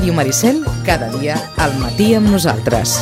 Ràdio Maricel, cada dia al matí amb nosaltres.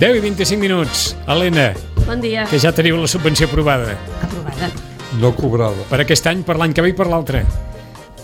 I 25 minuts. Helena, bon dia. Que ja teniu la subvenció aprovada. Aprovada. No cobrada. Per aquest any, per l'any que ve i per l'altre.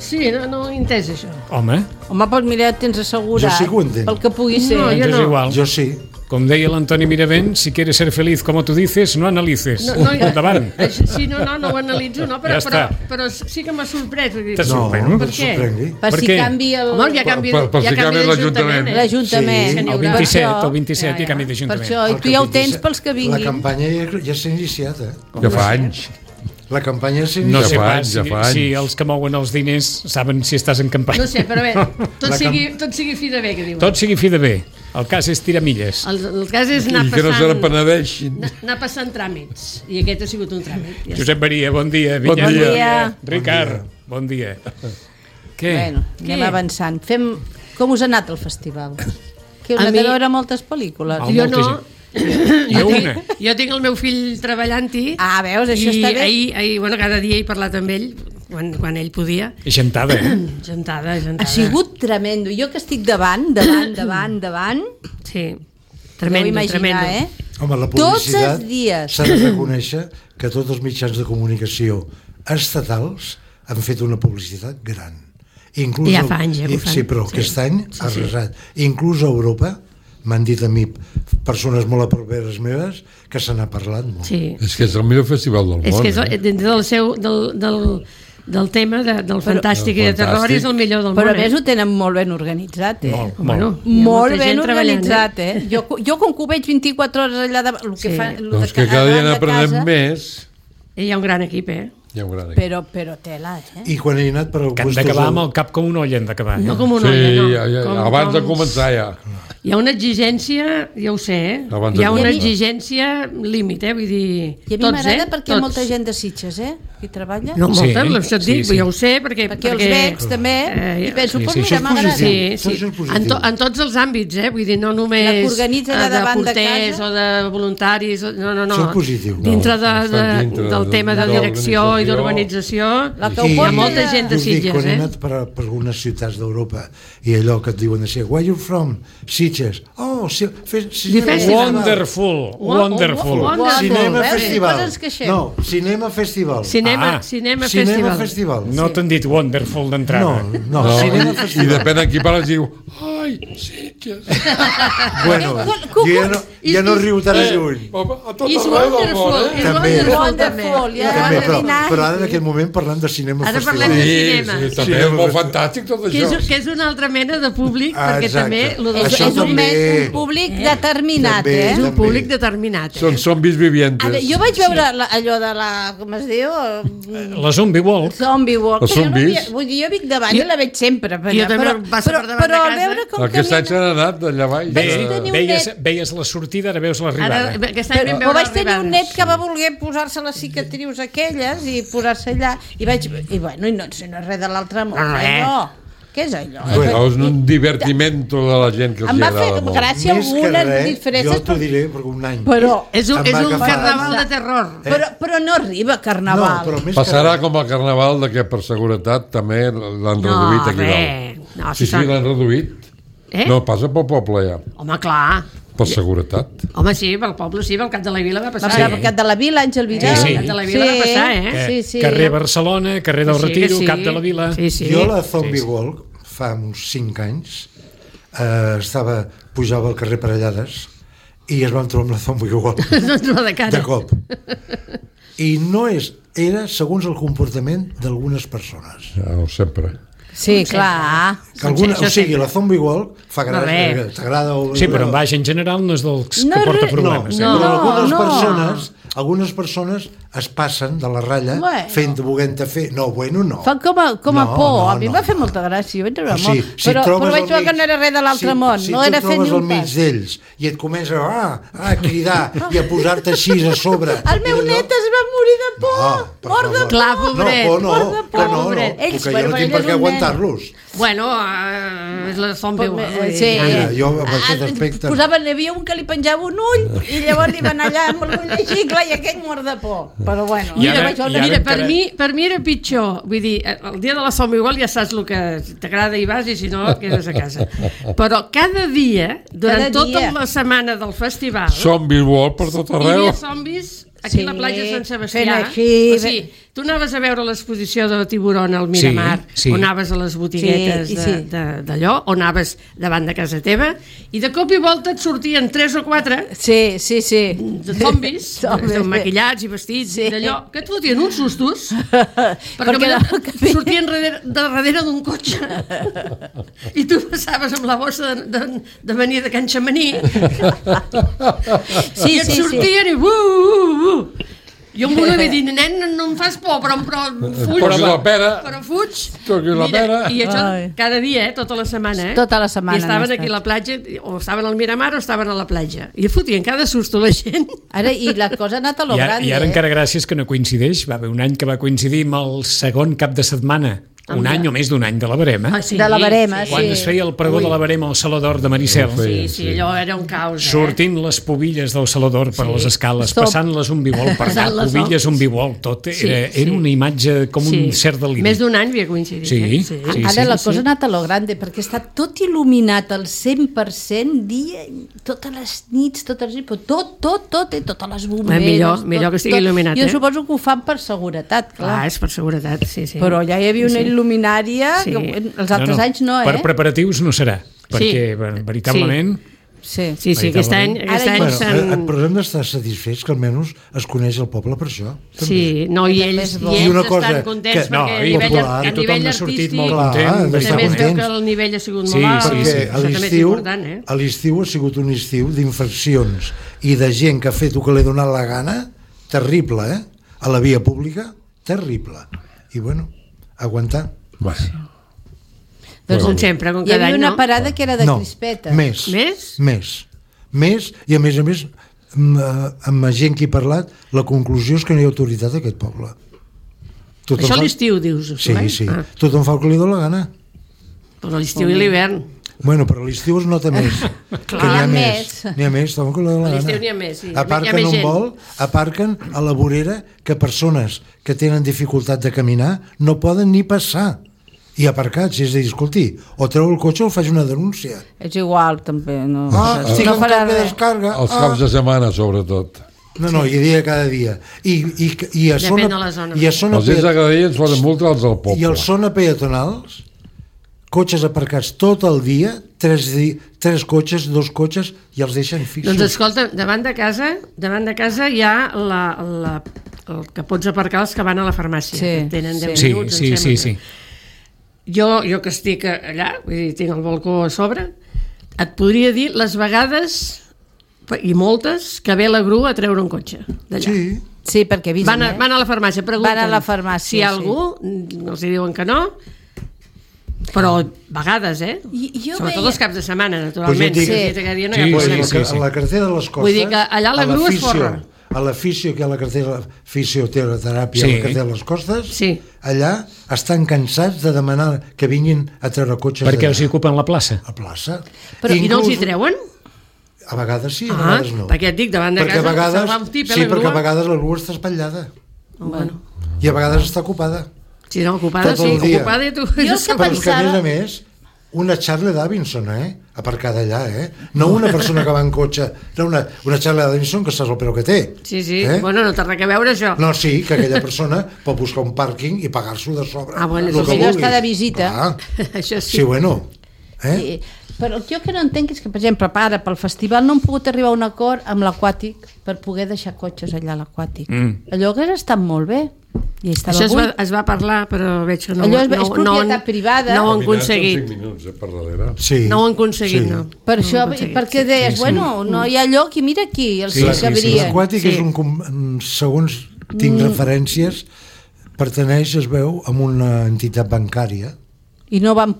Sí, no he entès això. Home, doncs mira, tens assegurat. Jo sí que ho entenc. Pel que pugui ser. No, jo és no. igual. Jo sí. Com deia l'Antoni Miravent, si quieres ser feliz como tú dices, no analices. Endavant. Sí, no ho analitzo, no, però, Ja està. però sí que m'ha sorprès. T'ha No, sorprès, no Per et què? sorprengui. Per Per si què? canvi el... Home, ja canvi Per si canvi l'Ajuntament. L'Ajuntament. Sí. El 27, el 27 hi ha canvi Per d'Ajuntament. això, i tu ja ho tens pels que La vinguin. campanya ja s'ha iniciat, Com Ja fa anys. La campanya s'ha No iniciat. sé Ja fa pas anys, ja fa si anys. els que mouen els diners saben si estàs en campanya. No sé, però bé, tot La sigui fi de bé, que diuen. Tot sigui fi de bé. El cas és tirar milles. El cas és anar I que no se passant... n'apenedeixin. Anar passant tràmits. I aquest ha sigut un tràmit. Ja Josep Maria, bon dia. Bon Vinyet, dia. Ricard, bon dia. Què? Bueno, anem avançant. Com us ha anat el festival? Que heu A anat mi- a veure moltes pel·lícules? Home. Jo molta no. gent. Jo una. Jo tinc el meu fill treballant-hi. Ah, veus, això i està bé. ahir, bueno, cada dia he parlat amb ell, quan ell podia. És gentada, Gentada. Ha sigut tremendo. Jo que estic davant, Sí, podeu tremendo, imaginar, tremendo. Home, la Tots publicitat els dies. s'ha de reconèixer que tots els mitjans de comunicació estatals han fet una publicitat gran. Inclús Ja fa anys, que ho fan. Sí, però Sí. aquest any ha arrasat. Inclús a Europa, m'han dit a mi persones molt a properes meves, que se n'ha parlat molt. Sí. És que és el millor festival del És món. que és dintre del tema del fantàstic i de terror és el millor del Però món. a més ho tenen molt ben organitzat, Molt, Bueno, molt. hi ha Molt molta ben gent treballant, organitzat, Jo com que ho veig 24 hores allà davant, el que Sí. fa, Doncs que cada dia n'aprenem més. Hi ha un gran equip, Hi ha un gran equip. Però tela, I quan he anat per Que han puestos d'acabar al- amb el cap com un olla, han d'acabar. No com Sí, una olla, no. abans de començar ja. Hi ha una exigència, ja ho sé, Abans hi de ha una començar. exigència límit, vull dir... I a mi m'agrada perquè hi ha molta gent de Sitges, que hi treballa. No, molta, Sí, això et dic, sí. ja ho sé, perquè Perquè els veig també i penso, sí, pues sí, mira, això és m'agrada. positiu. Sí, Això és positiu. en tots els àmbits, vull dir, no només La que organitza allà de davant de porters casa. o de voluntaris, no. Això és positiu. Dintre, estan dintre del tema de direcció i d'organització. d'organització, La que ho hi ha porta molta de- gent de us dic, Sitges, quan he anat per algunes ciutats d'Europa i allò que et diuen així, where you from? Sitges. Oh, sí, festival. Wonderful, wonderful. Wonderful. Cinema Veus? Festival. Coses que xem. No, Cinema Festival. Cinema Cinema Festival. Festival. No t'han dit wonderful d'entrada. No, No, Cinema I Festival. depèn de qui parles diu ai, Sitges. Bueno, jo ja no riu tan lluny. Home, a tot Is arreu del món, wonderful, is També. wonderful també. Wonderful, ja. També, Adivinar. però ara en aquest moment parlant de Cinema Ara Festival. parlem de Sí, cinema. sí, també és molt fantàstic tot això. Que és una altra mena de públic, perquè Exacte. també lo del Això És un també. públic determinat, També. és un també. públic determinat. Són zombis vivientes. Ara, jo vaig veure allò de la... com es diu? La Zombie Walk. Zombie Walk. Els que jo no zombis. vull dir, jo vic davant i la veig sempre. Jo també passo per davant però de al casa. veure com Aquest any s'han anat d'allà baix. Vaig tenir un net. Veies la sortida, ara veus l'arribada. Ara, aquest any vam Però veure vaig tenir un l'arribada. net que va voler posar-se les cicatrius aquelles i posar-se allà i bueno, i no sé res de l'altre món. No, res. Allò. Què és allò? Bueno, és un divertimento de la gent que els Em va fer agrada molt. gràcia Més que algunes res, diferències, jo t'ho diré, perquè un any... però És un Em va agafar. carnaval de terror. però no arriba a Carnaval. No, però més Passarà que com el carnaval de que per seguretat també l'han reduït aquí res. dalt. No, Sí, si són- l'han reduït. No, passa pel poble ja, Home, clar. per seguretat. Home, sí, pel poble sí, pel cap de la vila va Va passar. passar per Cap de la Vila, Àngel Vidal. Sí, sí. Cap de la Vila va passar, Que- Sí. Carrer Barcelona, carrer del Sí, que Retiro, sí. Cap de la Vila. Sí, sí. Jo la Zombie Walk, fa uns 5 anys, pujava al carrer Parellades i es van trobar amb la Zombie Walk No ens va de cara. de cop. I no era segons el comportament d'algunes persones. Ja, sempre. Sí, clar. Que alguna, Això o sigui, sempre. la Zombie Walk fa No, gràcia, res. t'agrada o... Sí, però en baix en general no és dels No, que porta res. problemes. No, però no. algunes persones es passen de la ratlla volent-te fer... No, bueno, no. Fan com a por. A mi em va fer molta gràcia. Jo vaig treure molt. Però vaig veure que no era res de l'altre món. No era fer ni un pas. Si tu trobes al mig d'ells i et comença a cridar i a posar-te així a sobre... El meu net es va morir de por. Mort de por. Clar, pobret. Mort de por. No, que jo no tinc per què aguantar-los. Bueno, és la zombie. Sí. Jo, amb aquest aspecte... Hi havia un que li penjava un ull i llavors li van allà amb el ull així, clar, i aquell mort de por. Però bueno... Mira, per mi era pitjor. Vull dir, el dia de la zombie igual ja saps el que t'agrada i vas i si no et quedes a casa. Però cada dia, durant tota la setmana del festival... Zombies World per tot arreu. Hi havia zombis aquí a la platja de Sant Sebastià. O sigui, tu anaves a veure l'exposició de Tiburón al Miramar, o anaves a les botiguetes d'allò, o anaves davant de casa teva, i de cop i volta et sortien 3 o 4 de zombis, maquillats i vestits, d'allò, que et fotien uns sustos, perquè sortien darrere d'un cotxe, i tu passaves amb la bossa de venir de Can Xamaní, i et sortien i jo em volia dir, nen, no em fas por, però fuig. Però fuig. I això cada dia, tota la setmana. Tota la setmana. I estaven aquí a la platja, o estaven al Miramar o estaven a la platja. I fotien cada susto la gent. Ara, i la cosa ha anat a lo grande. I ara encara gràcies que no coincideix. Va haver un any que va coincidir amb el segon cap de setmana. Un any o més d'un any de la Verema. De la Verema, sí. Quan es feia el pregó de la Verema al Saló d'Or de Maricel. Sí, allò era un caos. Sortint les pobilles del Saló d'Or per les escales, passant-les un bivol per allà, pobilles un bivol, tot. Era una imatge com un cert deliri. Més d'un any havia coincidit. Ara la cosa ha anat a lo grande, perquè està tot il·luminat al 100% dia, totes les nits, totes les bomberes. Millor que estigui il·luminat. Jo suposo que ho fan per seguretat, clar. Clar, és per seguretat, sí. Però ja hi havia una il·luminària, els altres anys no, Per preparatius no serà, perquè veritablement... Sí, aquest any però hem d'estar satisfets que almenys es coneix el poble per això. Sí, no, i ells estan contents perquè a nivell artístic també es veu que el nivell ha sigut molt alt. Perquè a l'estiu ha sigut un estiu d'infraccions i de gent que ha fet el que li ha donat la gana, terrible, a la via pública, terrible. I bueno, aguantar. Doncs com sempre, com cada any, no? Hi havia una parada que era de crispetes. Més, i a més, amb gent que he parlat, la conclusió és que no hi ha autoritat a aquest poble. Això a l'estiu, dius? Sí. Tothom fa el que li dóna la gana. Però l'estiu i l'hivern. Bueno, però a l'estiu es nota més. Clar, n'hi ha més. N'hi ha més, tothom que li dóna la gana. A l'estiu n'hi ha més, sí. Aparquen un vol, aparquen a la vorera que persones que tenen dificultat de caminar no poden ni passar. I aparcats, és a dir, escolti, o treu el cotxe o faig una denúncia. És igual, també. No farà res. Descarga. Els caps de setmana, sobretot. No, hi dia cada dia. I a depèn de la zona. Els dies de cada dia ens poden multar els del poble. I els zona peatonals, cotxes aparcats tot el dia, 3 cotxes, 2 cotxes, i els deixen fixos. Doncs escolta, davant de casa hi ha el que pots aparcar els que van a la farmàcia. Sí. Tenen 10 minuts, em sembla. Sí. Jo que estic allà, vull dir, tinc el balcó a sobre, et podria dir les vegades, i moltes, que ve la grua a treure un cotxe d'allà. Sí, perquè avisen, van a la farmàcia, pregunten. Van a la farmàcia, si hi ha algú, els diuen que no, però vegades, sobretot els caps de setmana, naturalment. A la carretera de les Costes, vull dir que allà la grua es forra. A la fisio, que hi ha la carretera fisioteràpia a la carretera de les Costes, allà estan cansats de demanar que vinguin a treure cotxes. Perquè els ocupen la plaça. La plaça. Però i no els hi treuen? A vegades sí, a vegades no. Perquè et dic, davant de casa se'n va un tip, sí, perquè a vegades la grua està espatllada. I a vegades està ocupada. Sí, no, ocupada sí, ocupada i tu... Jo que pensava... A més, una Charlie Davidson, aparcada allà, no una persona que va en cotxe, no una Charlie Davidson que saps el preu que té. Sí, bueno, no té res a veure això. No, sí, que aquella persona pot buscar un pàrquing i pagar-s'ho de sobre. Bueno, això està de visita. Això sí. Sí, bueno. Però el que no entenc és que, per exemple, ara pel festival no hem pogut arribar a un acord amb l'Aquàtic per poder deixar cotxes allà a l'Aquàtic. Allò hauria estat molt bé. Això es va parlar, però veig que no allò és propietat privada. No ho han aconseguit. No ho han aconseguit, no. Per això, perquè deies, bueno, no hi ha lloc i mira aquí, els que cabrien. L'Aquàtic és segons tinc referències, pertaneix, es veu, a una entitat bancària. I no van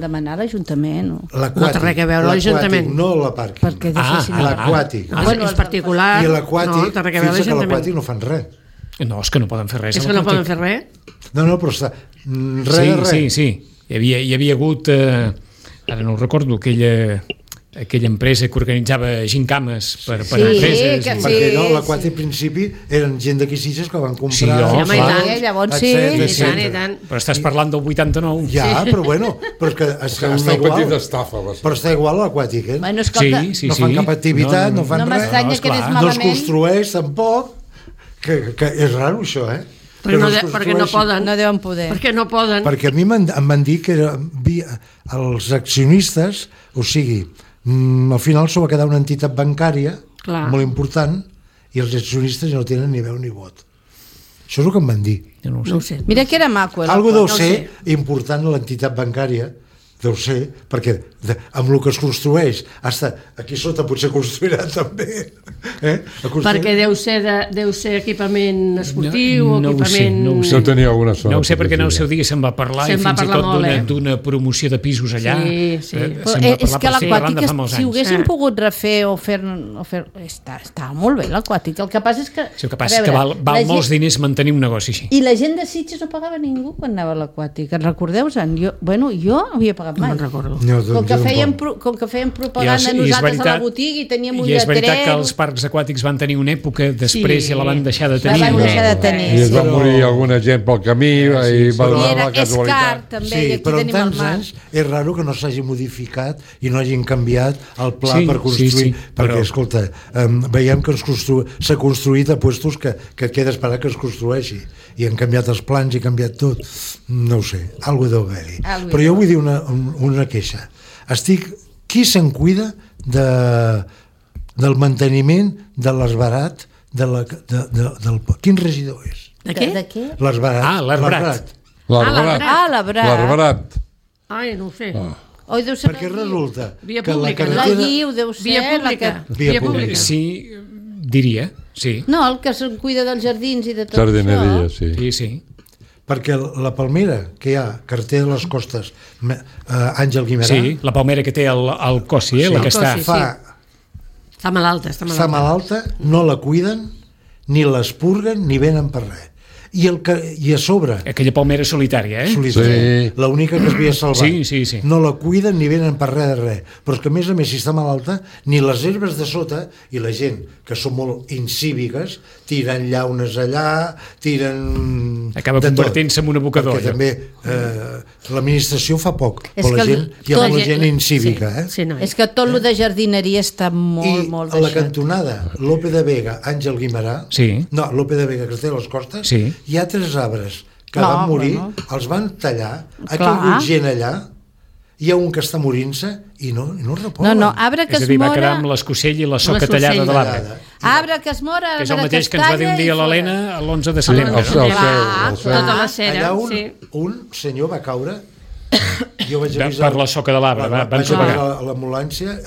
demanar a l'Ajuntament? No té res a veure l'Ajuntament. No la pàrquing. L'aquàtic. És particular. I l'aquàtic, fins que l'aquàtic no fan res. No, és que no poden fer res. És que no poden fer res? No, però està... Res. Sí. Hi havia hagut... Ara no ho recordo, aquella empresa que organitzava gincames per empreses. Perquè l'aquàtic al principi eren gent d'aquí Sitges que van comprar... Llavors sí. I tant. Però estàs parlant del 89. Ja, però bueno, però és que està igual. Petita estafa, però està igual l'aquàtic, eh? Bueno, escolta, no fan cap activitat, no fan res. No m'estranya que anés malament. No es construeix tampoc, que és raro això, eh? Perquè no poden. No deuen poder. Perquè no poden. Perquè a mi em van dir que els accionistes, o sigui, al final s'ho va quedar una entitat bancària molt important i els accionistes no tenen ni veu ni vot. Això és el que em van dir. No ho sé. Mira que era maco. Algo deu ser important a l'entitat bancària, deu ser, perquè amb el que es construeix, hasta aquí sota potser construirà també. Perquè deu ser equipament esportiu, equipament... No tenia alguna sort. No ho sé, perquè en el seu dia se'n va parlar i fins i tot d'una promoció de pisos allà. Sí. És que l'aquàtic, si ho haguessin pogut refer o fer... Estava molt bé l'aquàtic. El que passa és que... El que passa és que val molts diners mantenir un negoci així. I la gent de Sitges no pagava ningú quan anava a l'aquàtic. En recordeu-se'n? Jo havia pagat mai. No recordo. Com que fèiem propaganda nosaltres a la botiga i teníem un lletrer... I és veritat que els parcs aquàtics van tenir una època, després ja la van deixar de tenir. I es va morir alguna gent pel camí i va donar la casualitat. També, sí, però en tants anys és raro que no s'hagi modificat i no hagin canviat el pla per construir, perquè, escolta, veiem que s'ha construït a puestos que queda esperar que es construeixi i han canviat els plans i canviat tot. No ho sé, alguna deu haver-hi. Però jo vull dir una queixa. Qui se'n cuida del manteniment de l'esbarat quin regidor és? De què? L'arbrat. L'arbrat. Ai, no ho sé. Perquè resulta que la carretera... La Guiu deu ser... Via pública. Sí, diria, sí. No, el que se'n cuida dels jardins i de tot Jardineria, això. Sí. Perquè la palmera que hi ha, carretera de les Costes, Àngel Guimerà... Sí, la palmera que té el Cossi, la que està... Està malalta. No la cuiden, ni l'expurguen, ni venen per res. I a sobre... Aquella palmera solitària, eh? Sí. L'única que es havia salvat. Sí. No la cuiden ni venen per res de res. Però és que, a més, si està malalta, ni les herbes de sota, i la gent, que són molt incíviques, tiren llaunes allà, tiren... Acaba convertint-se en un abocador. Perquè també l'administració fa poc, però la gent, hi ha molta gent incívica. És que tot el de jardineria està molt deixat. I a la cantonada, Lope de Vega, Àngel Guimerà... No, Lope de Vega, que té les Costes... Hi ha 3 arbres que van morir, els van tallar, ha caigut gent allà, hi ha un que està morint-se i no repolen. Arbre que es mora... És a dir, va quedar amb l'escocell i la soca tallada de l'arbre. Arbre que es mora, arbre que es talla... Que és el mateix que ens va dir un dia l'Helena l'11 de setembre. Tota la cera. Allà un senyor va caure, jo vaig avisar... Per la soca de l'arbre, van sopegar. A l'ambulància,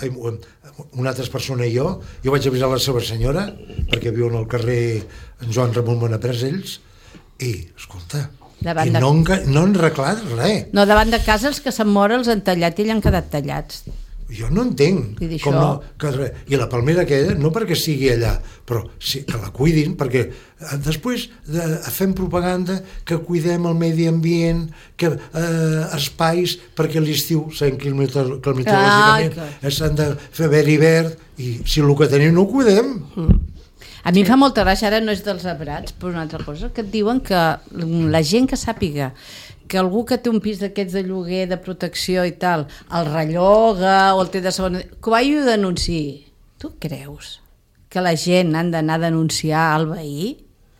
una altra persona i jo vaig avisar la seva senyora, perquè viuen al carrer Joan Ramon Bonapresells, i, escolta, no han arreglat res. No, davant de casa els que se'n mora els han tallat i ell han quedat tallats. Jo no entenc com no, i la palmera aquella, no perquè sigui allà, però sí, que la cuidin, perquè després fem propaganda que cuidem el medi ambient, que espais, perquè a l'estiu s'han climatològicament s'han de fer verd i verd, i si el que tenim no ho cuidem. A mi em fa molta gràcia, ara no és dels arbrats, però una altra cosa, que et diuen que la gent que sàpiga que algú que té un pis d'aquests de lloguer, de protecció i tal, el relloga o el té de segona... que vagi a denunciar. Tu creus que la gent han d'anar a denunciar al veí?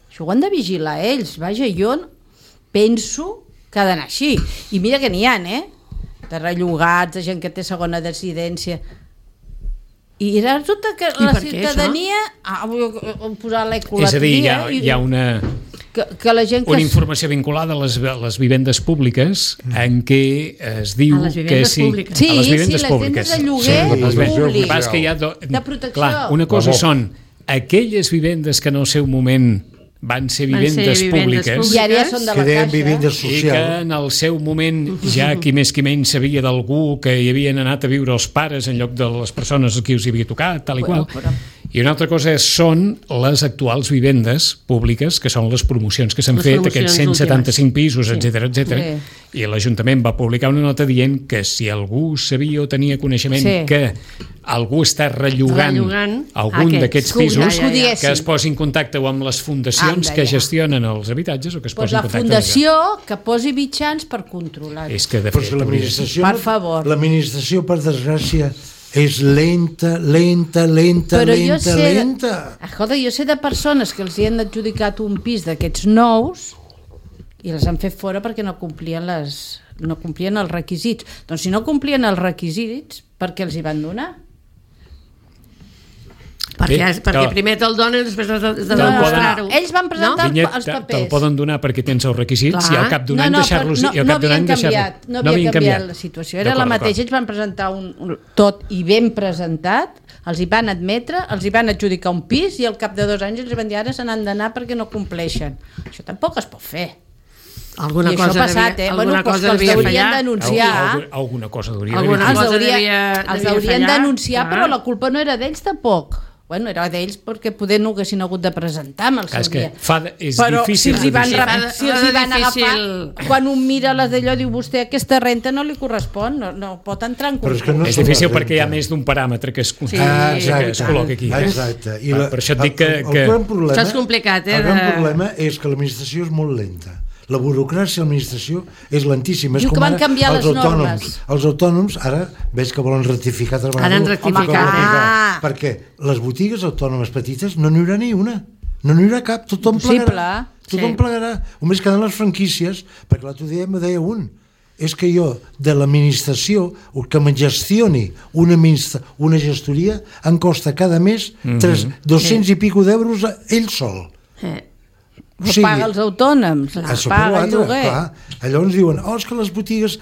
Això ho han de vigilar ells. Vaja, jo penso que ha d'anar així. I mira que n'hi ha, de rellogats, de gent que té segona residència... I resulta que la ciutadania posar l'ecolatria... És a dir, hi ha una informació vinculada a les vivendes públiques en què es diu que sí... A les vivendes públiques. Sí, les vivendes de lloguer públic. De protecció. Clar, una cosa són aquelles vivendes que en el seu moment van ser vivendes públiques i ara ja són de la Caixa i que en el seu moment ja qui més qui menys sabia d'algú que hi havien anat a viure els pares en lloc de les persones a qui us hi havia tocat, tal i qual. I una altra cosa són les actuals vivendes públiques, que són les promocions que s'han fet, aquests 175 pisos, etc. I l'Ajuntament va publicar una nota dient que si algú sabia o tenia coneixement que algú està rellogant algun d'aquests pisos, que es posi en contacte o amb les fundacions que gestionen els habitatges o que es posi en contacte. La fundació que posi mitjans per controlar-ho. És que de fet, per favor. L'administració, per desgràcia, és lenta. Joder, jo sé de persones que els hi han adjudicat un pis d'aquests nous i les han fet fora perquè no complien els requisits. Doncs si no complien els requisits, per què els hi van donar? Perquè primer te'l donen i després has de demostrar-ho. Ells van presentar els papers. Te'l poden donar perquè tens els requisits i al cap d'un any deixar-los... No havien canviat la situació, era la mateixa. Ells van presentar tot i ben presentat, els hi van admetre, els hi van adjudicar un pis i al cap de 2 anys els van dir ara se n'han d'anar perquè no compleixen. Això tampoc es pot fer. Alguna cosa devia fallar. Alguna cosa els haurien denunciar, però la culpa no era d'ells tampoc. Bueno, era d'ells perquè poder no haguessin hagut de presentar amb el seu dia. Però si els hi van agafar, quan un mira les d'allò diu vostè aquesta renta no li correspon, no pot entrar en concurs. És difícil perquè hi ha més d'un paràmetre que es col·loca aquí. Exacte. Per això et dic que... Això és complicat. El gran problema és que l'administració és molt lenta. La burocràcia a l'administració és lentíssima. Diu que van canviar les normes. Els autònoms, ara veig que volen rectificar. Han rectificat. Perquè les botigues autònomes petites no n'hi haurà ni una. No n'hi haurà cap. Tothom plegarà. Tothom plegarà. Només queden les franquícies, perquè l'altre dia me deia un. És que jo, de l'administració, que me gestioni una gestoria, em costa cada mes 200 i pico d'euros ell sol. Paga els autònoms, paga el lloguer. Llavors diuen, és que les botigues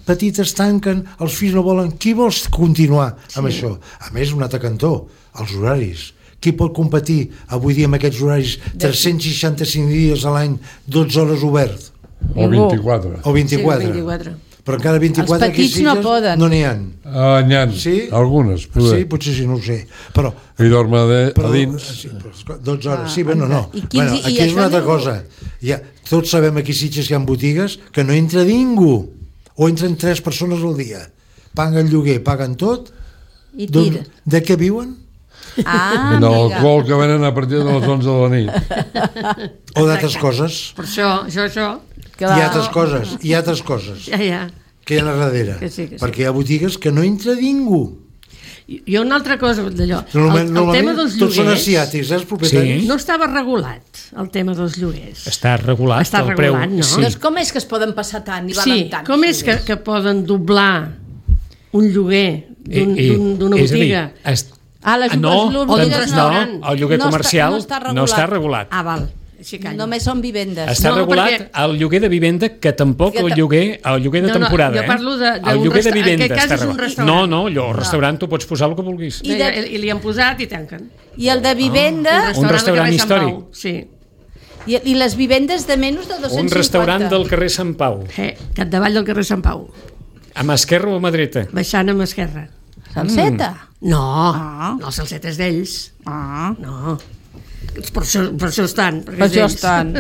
petites tanquen, els fills no volen. Qui vols continuar amb això? A més, un altre cantó, els horaris. Qui pot competir avui dia amb aquests horaris 365 dies a l'any, 12 hores obert? O 24. O 24. Però encara 24 els petits no poden. No n'hi ha. N'hi ha, algunes. Sí, potser sí, no ho sé. I dorme a dins. 12 hores, sí, bueno, no. Aquí és una altra cosa. Tots sabem aquí a Sitges que hi ha botigues que no entra ningú. O entren 3 persones al dia. Paguen lloguer, paguen tot. I tira. De què viuen? De l'alcohol que venen a partir de les 11 de la nit. O d'altres coses. Per això. Hi ha altres coses que hi ha a darrere, perquè hi ha botigues que no entra ningú. Hi ha una altra cosa d'allò, el tema dels lloguers tots són asiàtics, els propietaris. No estava regulat el tema dels lloguers. Està regulat el preu. Doncs com és que es poden passar tant i valen tant? Com és que poden doblar un lloguer d'una botiga? El lloguer comercial no està regulat. Val. Només són vivendes. Està regulat el lloguer de vivenda, que tampoc el lloguer de temporada. Jo parlo el lloguer de vivenda està regulat. No, allò, al restaurant tu pots posar el que vulguis. I li han posat i tanquen. I el de vivenda... Un restaurant històric. Sí. I les vivendes de menys de 250. Un restaurant del carrer Sant Pau. Capdavall del carrer Sant Pau. A mà esquerra o a mà dreta? Baixant a mà esquerra. Salseta? No, el Salseta és d'ells. No. Per això estan. Per això estan.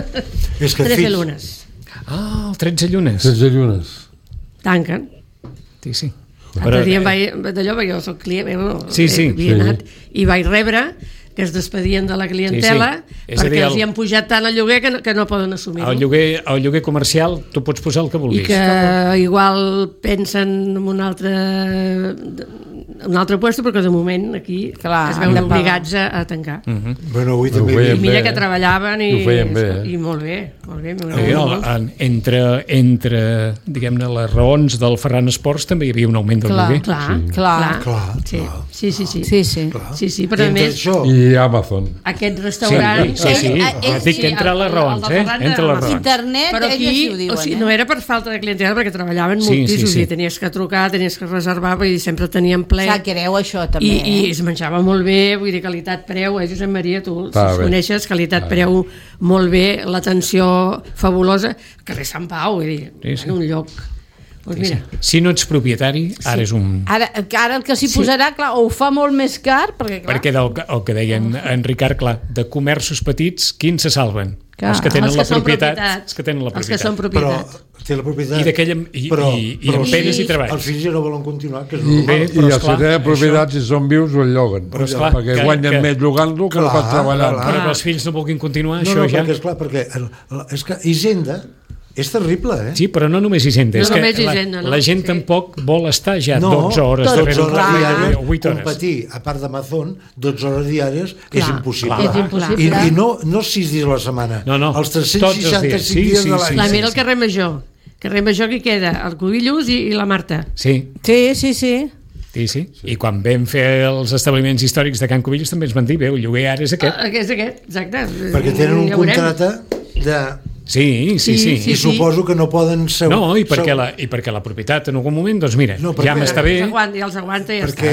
13 llunes. 13 llunes. 13 llunes. Tanquen. Sí. L'altre dia d'allò, perquè jo soc client, havia anat i vaig rebre que es despedien de la clientela perquè els hi han pujat tant el lloguer que no poden assumir-ho. El lloguer comercial tu pots posar el que vulguis. I que igual pensen en un altre puesto, però que de moment aquí es veuen obligats a tancar. Bueno, avui també i mira que treballaven i molt bé. Entre diguem-ne les raons del Ferran Esports també hi havia un augment del lloguer. Clar. Sí, però a més i Amazon. Aquest restaurant... Dic que entre les raons, entre les raons. Internet, però aquí no era per falta de clientela, perquè treballaven moltíssim, tenies que trucar, tenies que reservar, i sempre tenien ple la creu, això, també. I es menjava molt bé, vull dir, qualitat-preu, Josep Maria, tu coneixes, qualitat-preu molt bé, l'atenció fabulosa, carrer Sant Pau, vull dir, en un lloc... Pues mira. Si no ets propietari, ara és un... Ara el que s'hi posarà, clar, o ho fa molt més car, perquè el que deien en Ricard, clar, de comerços petits, quins se salven? Els que tenen la propietat. Els que tenen la propietat. Els que són propietat. Però té la propietat. I amb penes i treballs. Els fills ja no volen continuar, que és normal. I els que tenen propietat, si són vius, ho lloguen. Perquè guanyen més llogant-lo que no pot treballar. Però que els fills no vulguin continuar, això ja... No, perquè és que Hisenda... És terrible, eh? Sí, però no només Hisenda. No només Hisenda, la gent tampoc vol estar ja 12 hores darrere un diàries, 8 hores. Competir, a part d'Amazon, 12 hores diàries és impossible. És impossible. I no 6 dies a la setmana. No. Els 365 dies de l'any. Mira el carrer Major. Carrer Major que queda, el Cubillos i la Marta. Sí. Sí. I quan vam fer els establiments històrics de Can Cubillos també ens van dir, el lloguer ara és aquest. És aquest, exacte. Perquè tenen un contracte de... Sí. I suposo que no poden ser... No, i perquè la propietat en algun moment, doncs mira, ja m'està bé... I els aguanta i ja està. Perquè,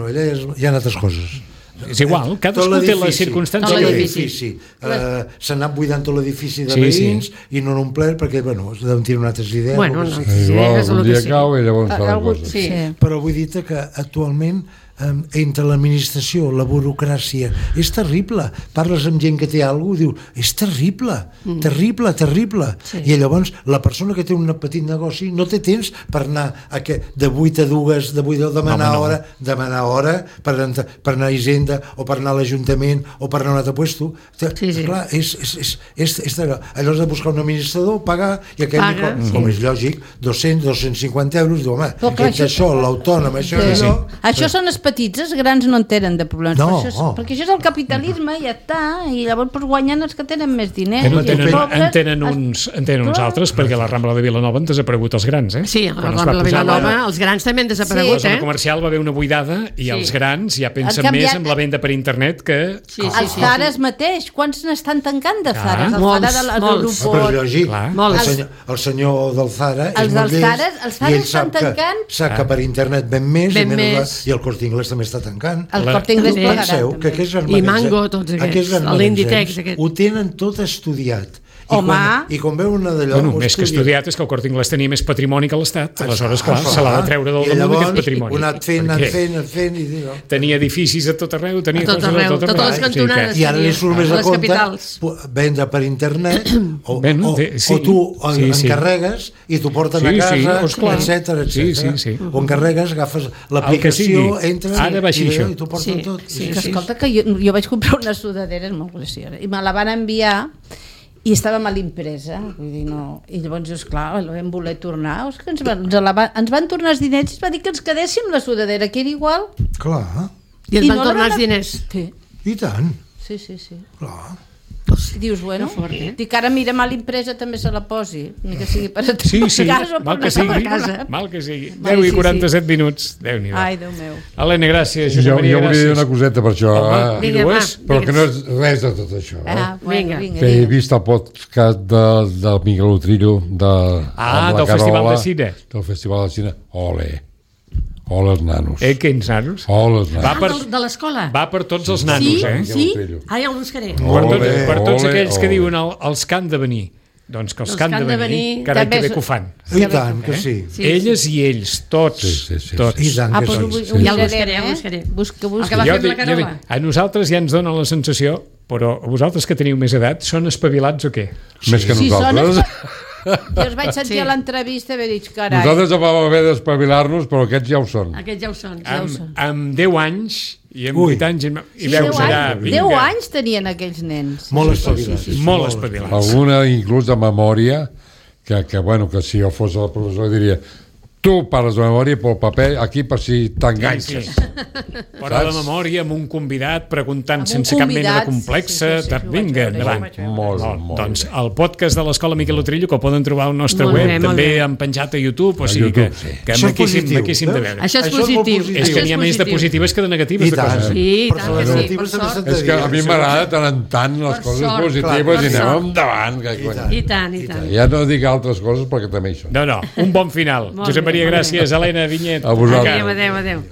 ella hi ha altres coses. És igual, cadascú té les circumstàncies. Tot l'edifici. S'ha anat buidant tot l'edifici de veïns i no n'han omplert perquè, deuen tenir altres idees. Un dia cau i llavors fa la cosa. Però vull dir que actualment entre l'administració, la burocràcia, és terrible. Parles amb gent que té alguna cosa, diu, és terrible. I llavors la persona que té un petit negoci no té temps per anar de 8 a 2, de 8 a demanar hora per anar a Hisenda o per anar a l'Ajuntament o per anar a un altre puesto. Clar, allò de buscar un administrador, pagar, i aquell, com és lògic, 200, 250 euros, diu, home, això, l'autònom, això són petits, els grans no en tenen de problemes, perquè això és el capitalisme i ja està, i llavors guanyen els que tenen més diners. En tenen uns altres, perquè a la Rambla de Vilanova han desaparegut els grans, eh? Sí, a la Rambla de Vilanova els grans també han desaparegut, La zona comercial va haver una buidada i els grans ja pensen més en la venda per internet que... Els Zares mateix, quants n'estan tancant de Zares? Molts. Però és lògic, el senyor del Zara és molt llest i ell sap que per internet ven més i el Corte Inglés també està tancant. El Corte Inglés plegarà. I Mango, tots aquests. L'Inditex. Ho tenen tot estudiat. I quan veuen una d'allò... Més que estudiat és que el Corte Inglés tenia més patrimoni que l'Estat. Aleshores, clar, se l'ha de treure del damunt d'aquest patrimoni. I llavors, anat fent... Tenia edificis a tot arreu, tenia coses a tot arreu. Totes les cantonades. I ara li surt més a compte vendre per internet o tu encarregues i t'ho porten a casa, etc. O encarregues, agafes l'aplicació, entres i t'ho porten tot. Escolta, que jo vaig comprar una sudadera, és molt graciosa, i me la van enviar i estava mal impresa, vull dir, no. I llavors, esclar, vam voler tornar, ens van tornar els diners i es va dir que ens quedéssim la sudadera, que era igual. Clar. I ens van tornar els diners? Sí. I tant. Sí. Clar. I dius, bueno, dic, ara mira, mal impresa també se la posi, ni que sigui per a casa o per anar a casa. Mal que sigui. 10 i 47 minuts. Déu-n'hi-do. Ai, Déu meu. Helena, gràcies. Josep Maria, gràcies. Jo volia dir una coseta per això. Però que no és res de tot això. Vinga. Que he vist el podcast del Miguel Utrillo del Festival de Cine. Del Festival de Cine. Ole els nanos. Quins nanos? Ole els nanos. De l'escola? Va per tots els nanos, Sí? Ja el buscaré. Per tots aquells que diuen els que han de venir. Doncs que els que han de venir, carai que bé que ho fan. I tant, que sí. Elles i ells, tots. I tant que sí. Ja el buscaré. El que va fer la Carola. A nosaltres ja ens dona la sensació, però vosaltres que teniu més edat, són espavilats o què? Més que nosaltres. Jo els vaig sentir a l'entrevista i vaig dir, carai. Nosaltres vam haver d'espavilar-nos, però aquests ja ho són. Aquests ja ho són. Amb 10 anys i amb 8 anys i veus allà... 10 anys tenien aquells nens. Molt espavilats. Molt espavilats. Alguna inclús de memòria, que si jo fos el professor diria... Tu parles de memòria pel paper aquí per si t'enganxes. Però de memòria amb un convidat preguntant sense cap mena de complexa. Vinga, endavant. Molt. Doncs el podcast de l'Escola Miquel Utrillo, que el poden trobar al nostre web, també han penjat a YouTube, o sigui que maquíssim de veure. Això és positiu. És que n'hi ha més de positives que de negatives de coses. Sí, tant que sí. És que a mi m'agrada tant en tant les coses positives i anem endavant. I tant. Ja no dic altres coses perquè també hi són. No, un bon final. Josep Maria, gràcies. Helena Vinyet. A vosaltres. Adéu.